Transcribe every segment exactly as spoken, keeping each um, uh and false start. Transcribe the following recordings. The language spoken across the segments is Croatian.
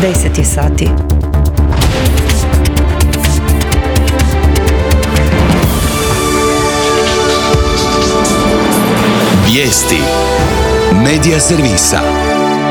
deset je sati. Vijesti Medija servisa.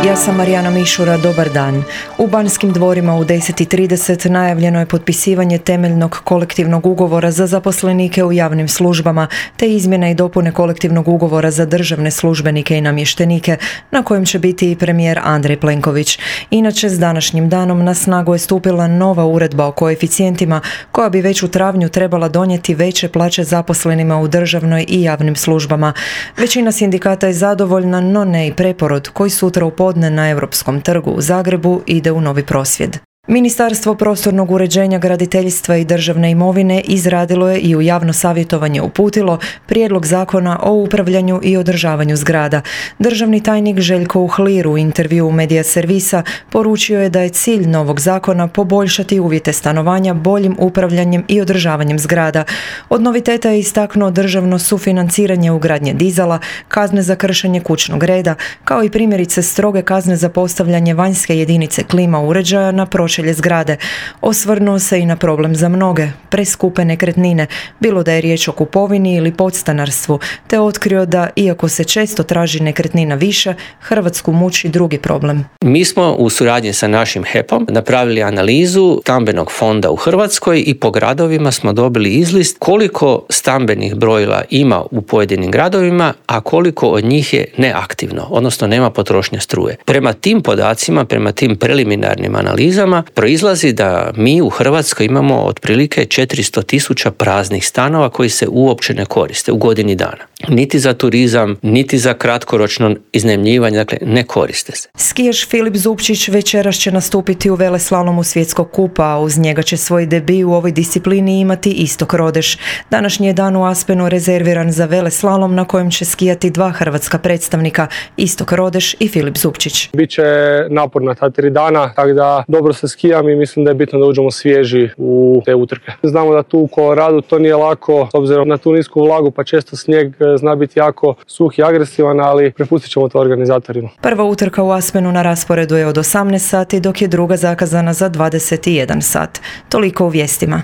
Ja sam Marijana Mišura, dobar dan. U Banskim dvorima u deset i trideset najavljeno je potpisivanje temeljnog kolektivnog ugovora za zaposlenike u javnim službama, te izmjene i dopune kolektivnog ugovora za državne službenike i namještenike, na kojem će biti i premijer Andrej Plenković. Inače, s današnjim danom na snagu je stupila nova uredba o koeficijentima, koja bi već u travnju trebala donijeti veće plaće zaposlenima u državnoj i javnim službama. Većina sindikata je zadovoljna, no ne i Preporod, koji sutra u podne na Europskom trgu u Zagrebu ide u novi prosvjed. Ministarstvo prostornog uređenja, graditeljstva i državne imovine izradilo je i u javno savjetovanje uputilo prijedlog zakona o upravljanju i održavanju zgrada. Državni tajnik Željko Uhlir u intervju u Medija servisa poručio je da je cilj novog zakona poboljšati uvjete stanovanja boljim upravljanjem i održavanjem zgrada. Od noviteta je istaknuo državno sufinanciranje ugradnje dizala, kazne za kršenje kućnog reda, kao i primjerice stroge kazne za postavljanje vanjske jedinice klima uređaja na pročelje zgrade. Osvrnuo se i na problem za mnoge, preskupe nekretnine, bilo da je riječ o kupovini ili podstanarstvu, te otkrio da, iako se često traži nekretnina više, Hrvatsku muči drugi problem. Mi smo u suradnji sa našim H E P-om napravili analizu stambenog fonda u Hrvatskoj i po gradovima smo dobili izlist koliko stambenih brojila ima u pojedinim gradovima, a koliko od njih je neaktivno, odnosno nema potrošnje struje. Prema tim podacima, prema tim preliminarnim analizama, proizlazi da mi u Hrvatskoj imamo otprilike četiristo tisuća praznih stanova koji se uopće ne koriste u godini dana. Niti za turizam, niti za kratkoročno iznajmljivanje, dakle ne koriste se. Skijaš Filip Zupčić večeras će nastupiti u veleslalomu svjetskog kupa, a uz njega će svoj debi u ovoj disciplini imati Istok Rodeš. Današnji je dan u Aspenu rezerviran za veleslalom na kojem će skijati dva hrvatska predstavnika, Istok Rodeš i Filip Zupčić. Biće naporna ta tri dana, tako da dobro se skijam i mislim da je bitno da uđemo svježi u te utrke. Znamo da tu u Koloradu to nije lako, s obzirom na tu nisku vlagu, pa često snijeg zna biti jako suh i agresivan, ali prepustit ćemo to organizatorima. Prva utrka u Aspenu na rasporedu je od osamnaest sati, dok je druga zakazana za dvadeset jedan sat. Toliko u vijestima.